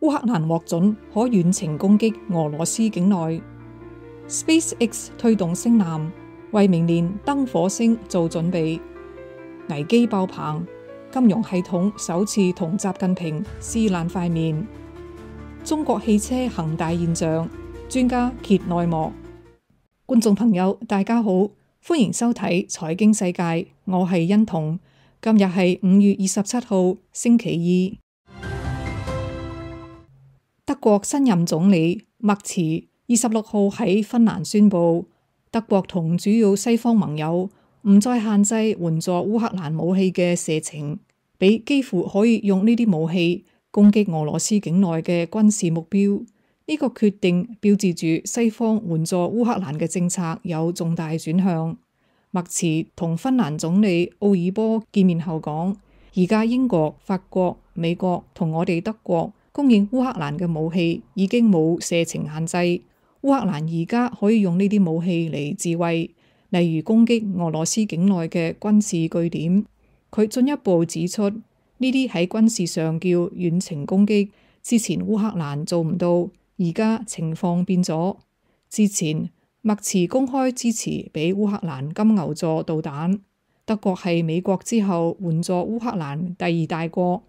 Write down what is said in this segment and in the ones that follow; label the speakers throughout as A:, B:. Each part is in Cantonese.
A: 烏克蘭獲准可遠程攻擊俄羅斯境內。SpaceX 推動星艦，為明年登火星做準備。危機爆棚，金融系統首次同習近平撕爛塊面。中國汽車恒大現象，專家揭內幕。觀眾朋友，大家好，歡迎收睇財經世界，我係欣彤。今日係5月27號，星期二。德國新任總理默茨26號喺芬蘭宣布，德國同主要西方盟友唔再限制援助烏克蘭武器嘅射程，俾幾乎可以用呢啲武器攻擊俄羅斯境內嘅軍事目標。呢個決定標誌住西方援助烏克蘭嘅政策有重大轉向。默茨同芬蘭總理奧爾波見面後講，而家英國、法國、美國同我哋德國供應烏克蘭嘅武器已經冇射程限制，烏克蘭而家可以用呢啲武器嚟自衛，例如攻擊俄羅斯境內嘅軍事據點。佢進一步指出，呢啲喺軍事上叫遠程攻擊，之前烏克蘭做唔到。而家情況變咗，之前默茨公開支持俾烏克蘭金牛座導彈，德國係美國之後援助烏克蘭第2大國。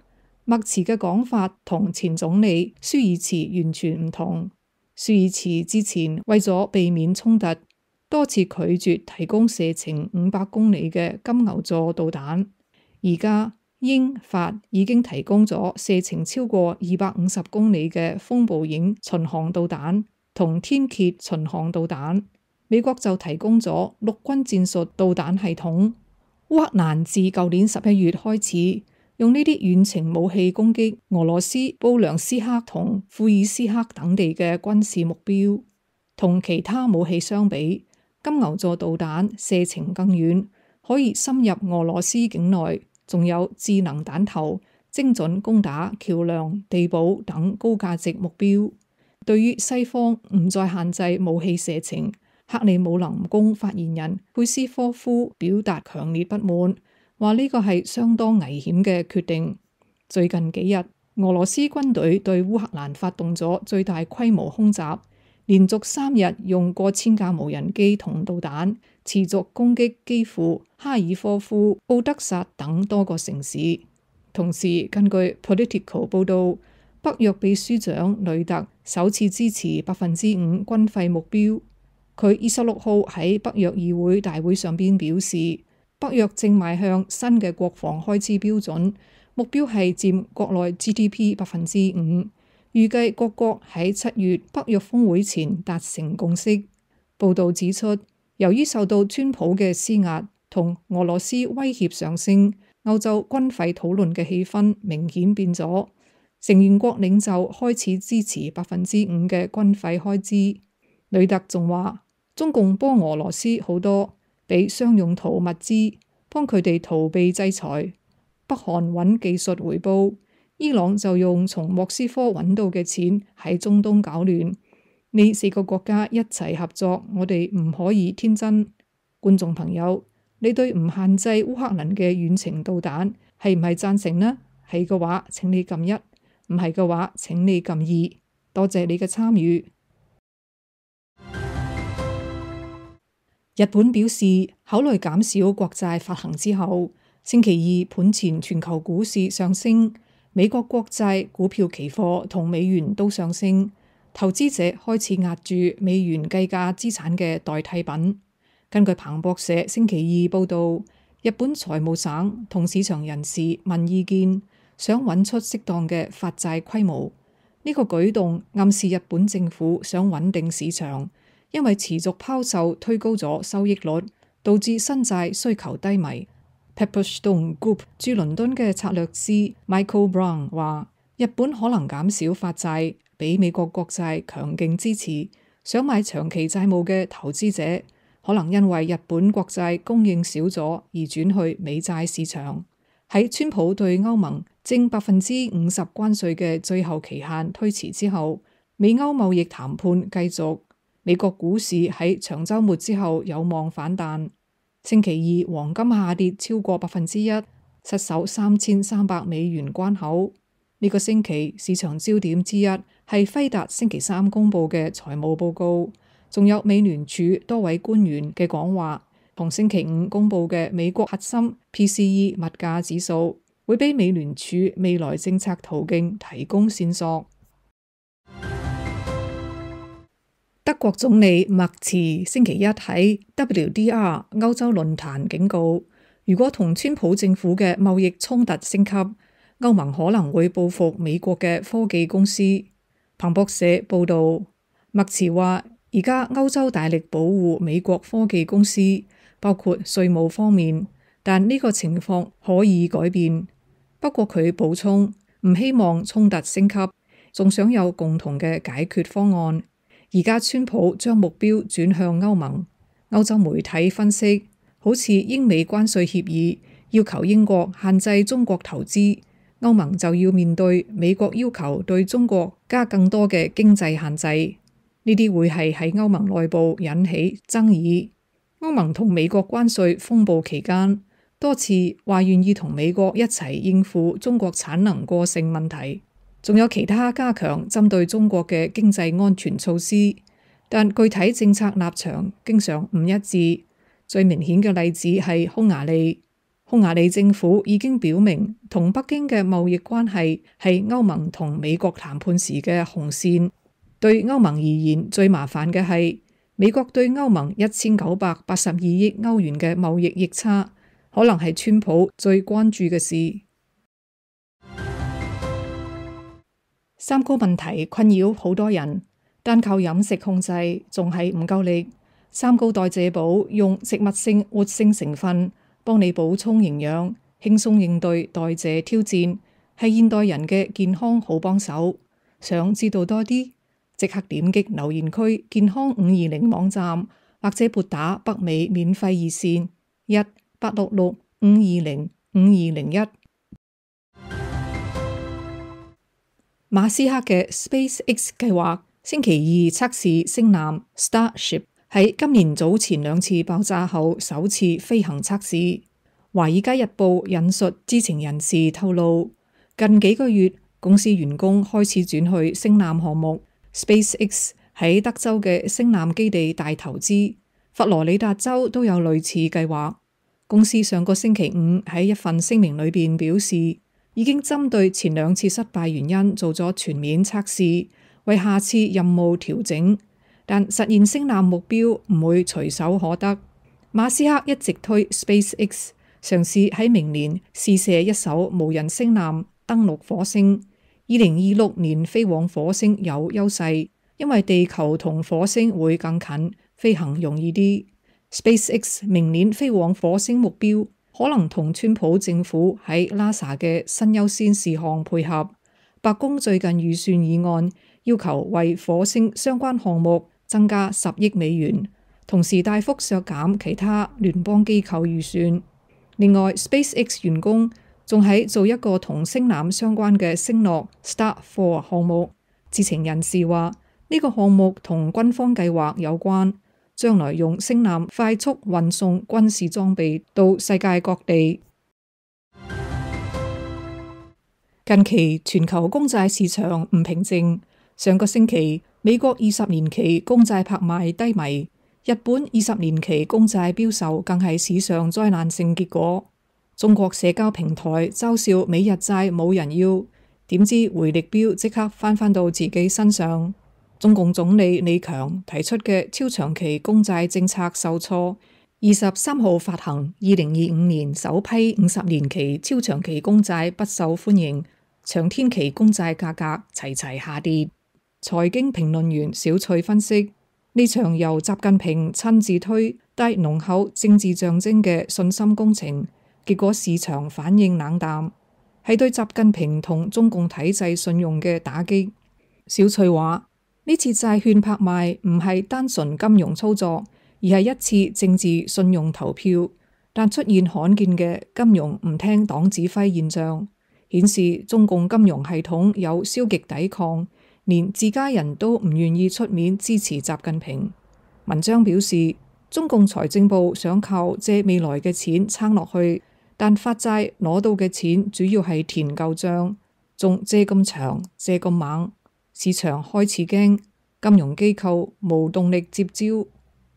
A: 默茨嘅講法同前總理舒爾茨完全唔同。舒爾茨之前為咗避免衝突，多次拒絕提供射程500公里嘅金牛座導彈，而家英法已經提供咗射程超過250公里嘅風暴影巡航導彈同天蠍巡航導彈，美國就提供咗陸軍戰術導彈系統。烏克蘭自舊年11月開始用呢啲遠程武器攻擊俄羅斯布良斯克同庫爾斯克等地嘅軍事目標。同其他武器相比，金牛座導彈射程更遠，可以深入俄羅斯境內，仲有智能彈頭，精準攻打橋樑、地堡等高價值目標。對於西方唔再限制武器射程，克里姆林宮發言人佩斯科夫表達強烈不滿，話呢個係相當危險嘅決定。最近幾日，俄羅斯軍隊對烏克蘭發動咗最大規模空襲，連續3日用過千架無人機同導彈持續攻擊基輔、哈爾科夫、奧德薩等多個城市。同時，根據 Politico 報道，北約秘書長雷特首次支持5%軍費目標。佢26號喺北約議會大會上邊表示，北約正邁向新嘅國防開支標準，目標係佔國內 GDP 5%。預計各國喺7月北約峰會前達成共識。報道指出，由於受到川普嘅施壓同俄羅斯威脅上升，歐洲軍費討論嘅氣氛明顯變咗。成員國領袖開始支持5%嘅軍費開支。雷特仲話，中共幫俄羅斯好多，俾商用途物資，幫佢哋逃避制裁。北韓揾技術回報。伊朗就用從莫斯科揾到嘅錢喺中東搞亂，呢4個國家一齊合作，我哋唔可以天真。觀眾朋友，你對唔限制烏克蘭嘅遠程導彈係唔係贊成呢？係嘅話，請你撳1；唔係嘅話，請你撳2。多謝你嘅參與。日本表示考慮減少國債發行之後，星期二盤前全球股市上升。美國國債、股票期貨同美元都上升，投資者開始押住美元計價資產嘅代替品。根據彭博社星期二報導，日本財務省同市場人士問意見，想揾出適當嘅發債規模。呢個舉動暗示日本政府想穩定市場，因為持續拋售推高咗收益率，導致新債需求低迷。Pepperstone Group 駐倫敦嘅策略師 Michael Brown 話，日本可能減少發債，俾美國國債強勁支持。想買長期債務嘅投資者，可能因為日本國債供應少咗而轉去美債市場。喺川普對歐盟徵50%關稅嘅最後期限推遲之後，美歐貿易談判繼續。美國股市喺長週末之後有望反彈。星期二，黃金下跌超過1%，失守3300美元關口。呢個星期市場焦點之一係輝達星期三公佈嘅財務報告，仲有美聯儲多位官員嘅講話，同星期五公佈嘅美國核心 PCE 物價指數，會俾美聯儲未來政策途徑提供線索。德國總理默茨星期一喺 WDR 歐洲論壇警告，如果同川普政府嘅貿易衝突升級，歐盟可能會報復美國嘅科技公司。彭博社報導，默茨話而家歐洲大力保護美國科技公司，包括稅務方面，但呢個情況可以改變。不過佢補充，唔希望衝突升級，仲想有共同嘅解決方案。而家川普將目標轉向歐盟，歐洲媒體分析，好似英美關稅協議要求英國限制中國投資，歐盟就要面對美國要求對中國加更多嘅經濟限制，呢啲會係喺歐盟內部引起爭議。歐盟同美國關稅風暴期間，多次話願意同美國一齊應付中國產能過剩問題。仲有其他加強針對中國嘅經濟安全措施，但具體政策立場經常唔一致。最明顯嘅例子係匈牙利，匈牙利政府已經表明同北京嘅貿易關係係歐盟同美國談判時嘅紅線。對歐盟而言，最麻煩嘅係美國對歐盟1982億歐元嘅貿易逆差，可能係川普最關注嘅事。三高問題困擾好多人，單靠飲食控制仲係唔夠力。三高代謝寶用植物性活性成分幫你補充營養，輕鬆應對代謝挑戰，係現代人嘅健康好幫手。想知道多啲，即刻點擊留言區健康520網站，或者撥打北美免費熱線1-866-520-5201。馬斯克嘅 SpaceX 計劃星期二測試星艦 Starship， 喺今年早前2次爆炸後首次飛行測試。華爾街日報引述知情人士透露，近幾個月公司員工開始轉去星艦項目。SpaceX 喺德州嘅星艦基地大投資，佛羅里達州都有類似計劃。公司上個星期五喺一份聲明裏邊表示，已經針對前2次失敗原因做咗全面測試，為下次任務調整，但實現星艦目標唔會隨手可得。馬斯克一直推 SpaceX 嘗試喺明年試射一艘無人星艦登陸火星，2026年飛往火星有優勢，因為地球同火星會更近，飛行容易啲。SpaceX 明年飛往火星目標可能同川普政府喺 NASA 嘅新優先事項配合。白宮最近預算議案要求為火星相關項目增加10億美元，同時大幅削減其他聯邦機構預算。另外 SpaceX 員工仲喺做一個同星艦相關嘅星諾 Star4 項目。知情人士話呢個項目同軍方計劃有關，將來用星艦快速運送軍事裝備到世界各地。近期全球公債市場唔平靜，上個星期美國20年期公債拍賣低迷，日本20年期公債標售更係史上災難性結果。中國社交平台嘲笑美日債冇人要，點知回力鏢即刻翻到自己身上。中共總理李強提出嘅超長期公債政策受挫，23號發行2025年首批50年期超長期公債不受歡迎，長天期公債價格齊齊下跌。財經評論員小翠分析，呢場由習近平親自推帶濃厚政治象徵嘅信心工程，結果市場反應冷淡，係對習近平同中共體制信用嘅打擊。小翠話，呢次債券拍賣唔係單純金融操作，而係一次政治信用投票，但出現罕見嘅金融唔聽黨指揮現象，顯示中共金融系統有消極抵抗，連自家人都唔願意出面支持習近平。文章表示，中共財政部想靠借未來嘅錢撐落去，但發債攞到嘅錢主要係填舊賬，仲借咁長借咁猛，市場開始驚，金融機構無動力接招。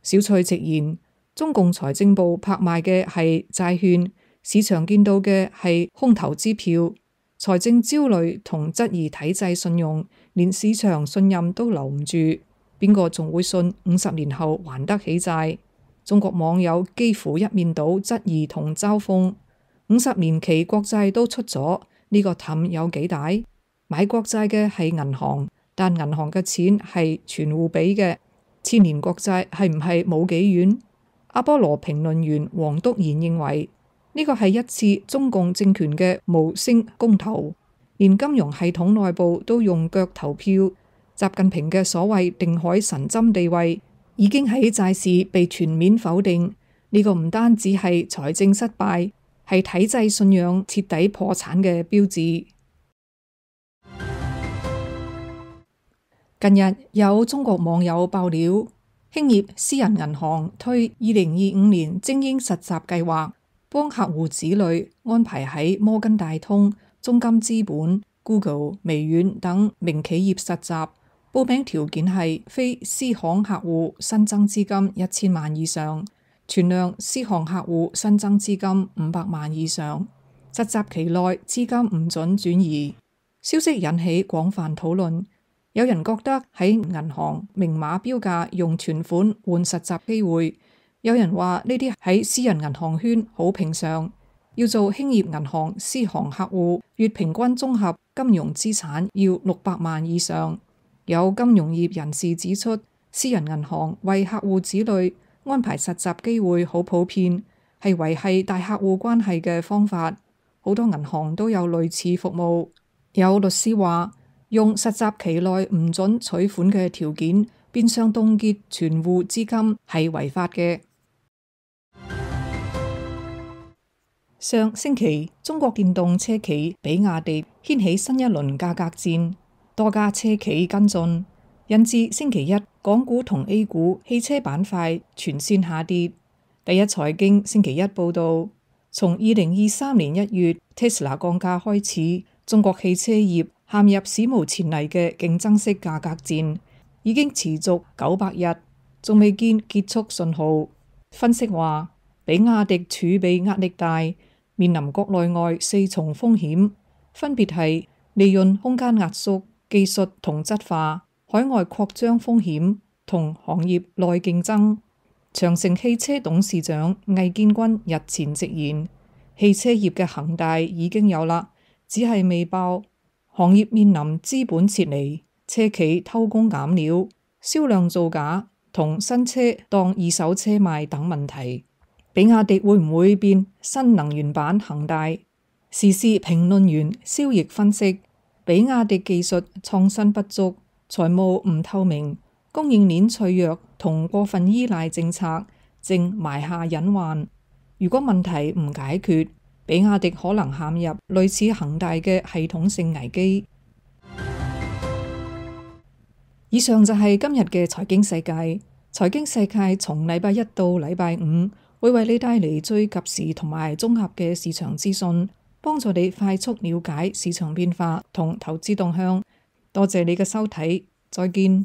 A: 小蔡直言，中共財政部拍賣嘅係債券，市場見到嘅係空頭支票。財政焦慮同質疑體制信用，連市場信任都留唔住，邊個仲會信50年後還得起債？中國網友幾乎一面倒質疑同嘲諷，50年期國債都出咗，呢個氹有幾大？買國債嘅係銀行，但銀行嘅錢係存戶俾嘅，1000年國債係唔係冇幾遠？阿波羅評論員黃篤賢認為，呢個係一次中共政權嘅無聲公投，連金融系統內部都用腳投票。習近平嘅所謂定海神針地位已經喺債市被全面否定。呢個唔單止係財政失敗，係體制信仰徹底破產嘅標誌。近日有中國網友爆料，興業私人銀行推2025年精英實習計劃，幫客戶子女安排喺摩根大通、中金資本、Google、微軟等名企業實習。報名條件係非私行客戶新增資金1000萬以上，存量私行客戶新增資金500萬以上。實習期內資金唔准轉移。消息引起廣泛討論，有人覺得喺銀行明碼標價用存款換實習機會，有人話呢啲喺私人銀行圈好平常。要做興業銀行私行客戶，月平均綜合金融資產要600萬以上。有金融業人士指出，私人銀行為客戶子女安排實習機會好普遍，係維繫大客戶關係嘅方法。好多銀行都有類似服務。有律師話，用實習期內唔准取款嘅條件，變相凍結存戶資金係違法嘅。上星期，中國電動車企比亞迪掀起新一輪價格戰。多家車企跟進，引致星期一港股同 A 股汽車板塊全線下跌。第一財經星期一報道，從2023年1月 Tesla 降價開始，中國汽車業陷入史無前例嘅競爭式價格戰，已經持續900日，仲未見結束信號。分析話，比亞迪儲備壓力大，面臨國內外4重風險，分別係利潤空間壓縮、技術同質化、海外擴張風險同行業內競爭。長城汽車董事長魏建軍日前直言，汽車業嘅恒大已經有啦，只係未爆。行業面臨資本撤離、車企偷工減料、銷量造假同新車當二手車賣等問題。比亞迪會唔會變新能源版恒大？時事評論員蕭奕分析，比亞迪技術創新不足，財務唔透明，供應鏈脆弱同過分依賴政策，正埋下隱患。如果問題唔解決，比亞迪可能陷入類似恒大嘅系統性危機。以上就係今日嘅財經世界。財經世界從禮拜一到禮拜五會為你帶嚟最及時同埋綜合嘅市場資訊，幫助你快速了解市場變化同投資動向。多謝你嘅收睇，再見。